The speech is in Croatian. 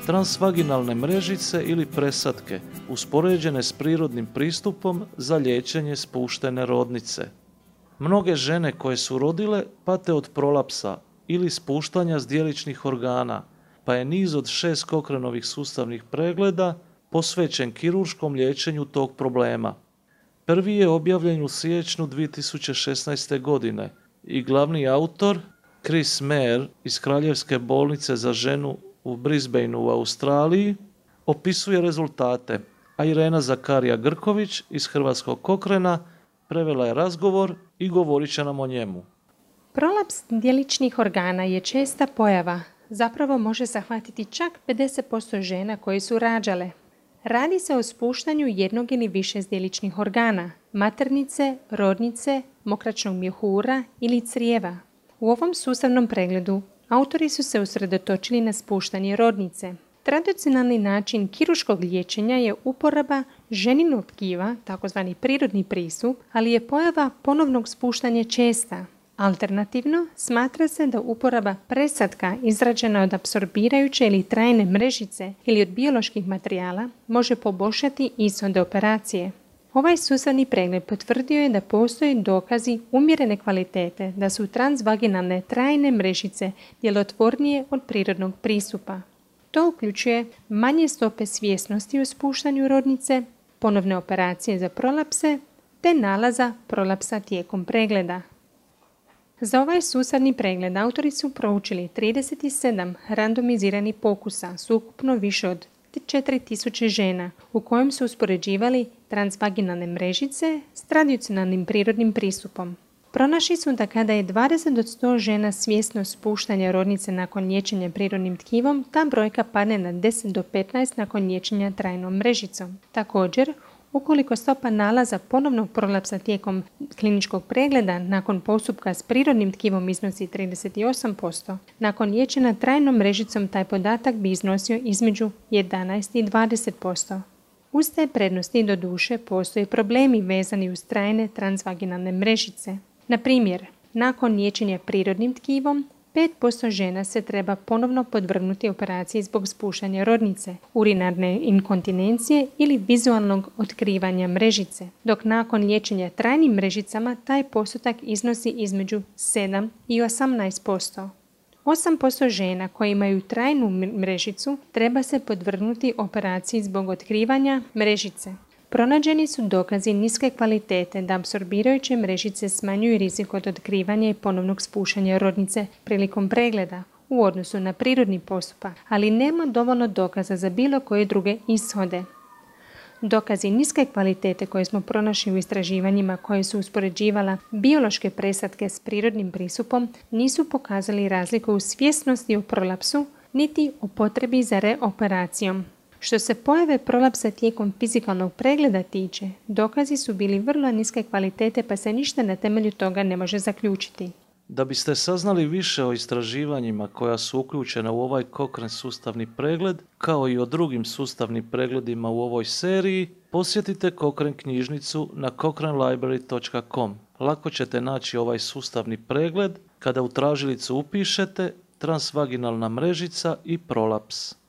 Transvaginalne mrežice ili presadke, uspoređene s prirodnim pristupom za liječenje spuštene rodnice. Mnoge žene koje su rodile pate od prolapsa ili spuštanja zdjeličnih organa, pa je niz od 6 Cochranovih sustavnih pregleda posvećen kirurškom liječenju tog problema. Prvi je objavljen u siječnju 2016. godine i glavni autor, Chris Mayer iz Kraljevske bolnice za ženu u Brisbaneu u Australiji, opisuje rezultate, a Irena Zakarija-Grković iz Hrvatskog Cochrana prevela je razgovor i govorit će nam o njemu. Prolaps djeličnih organa je česta pojava. Zapravo može zahvatiti čak 50% žena koje su rađale. Radi se o spuštanju jednog ili više zdjeličnih organa, maternice, rodnice, mokraćnog mjehura ili crijeva. U ovom sustavnom pregledu autori su se usredotočili na spuštanje rodnice. Tradicionalni način kirurškog liječenja je uporaba ženinog tkiva, takozvani prirodni pristup, ali je pojava ponovnog spuštanja česta. Alternativno, smatra se da uporaba presadka izrađena od apsorbirajuće ili trajne mrežice ili od bioloških materijala može poboljšati ishode operacije. Ovaj sustavni pregled potvrdio je da postoje dokazi umjerene kvalitete da su transvaginalne trajne mrežice djelotvornije od prirodnog pristupa. To uključuje manje stope svjesnosti o spuštanju rodnice, ponovne operacije za prolapse te nalaza prolapsa tijekom pregleda. Za ovaj sustavni pregled autori su proučili 37 randomiziranih pokusa s ukupno više od 4000 žena u kojem su uspoređivali transvaginalne mrežice s tradicionalnim prirodnim pristupom. Pronašli su da kada je 20 od 100 žena svjesno spuštanja rodnice nakon liječenja prirodnim tkivom, ta brojka padne na 10 do 15 nakon liječenja trajnom mrežicom. Također, ukoliko stopa nalaza ponovnog prolapsa tijekom kliničkog pregleda nakon postupka s prirodnim tkivom iznosi 38%, nakon liječenja trajnom mrežicom taj podatak bi iznosio između 11 i 20%. Uz te prednosti doduše postoje problemi vezani uz trajne transvaginalne mrežice. Na primjer, nakon liječenja prirodnim tkivom, 5% žena se treba ponovno podvrgnuti operaciji zbog spuštanja rodnice, urinarne inkontinencije ili vizualnog otkrivanja mrežice, dok nakon liječenja trajnim mrežicama taj postotak iznosi između 7 i 18%. 8% žena koje imaju trajnu mrežicu treba se podvrgnuti operaciji zbog otkrivanja mrežice. Pronađeni su dokazi niske kvalitete da apsorbirajuće mrežice smanjuju rizik od otkrivanja i ponovnog spuštanja rodnice prilikom pregleda u odnosu na prirodni postupak, ali nema dovoljno dokaza za bilo koje druge ishode. Dokazi niske kvalitete koje smo pronašli u istraživanjima koje su uspoređivala biološke presadke s prirodnim pristupom nisu pokazali razliku u svjesnosti o prolapsu niti o potrebi za reoperacijom. Što se pojave prolapsa tijekom fizikalnog pregleda tiče, dokazi su bili vrlo niske kvalitete pa se ništa na temelju toga ne može zaključiti. Da biste saznali više o istraživanjima koja su uključena u ovaj Cochrane sustavni pregled, kao i o drugim sustavnim pregledima u ovoj seriji, posjetite Cochrane knjižnicu na cochranelibrary.com. Lako ćete naći ovaj sustavni pregled kada u tražilicu upišete transvaginalna mrežica i prolaps.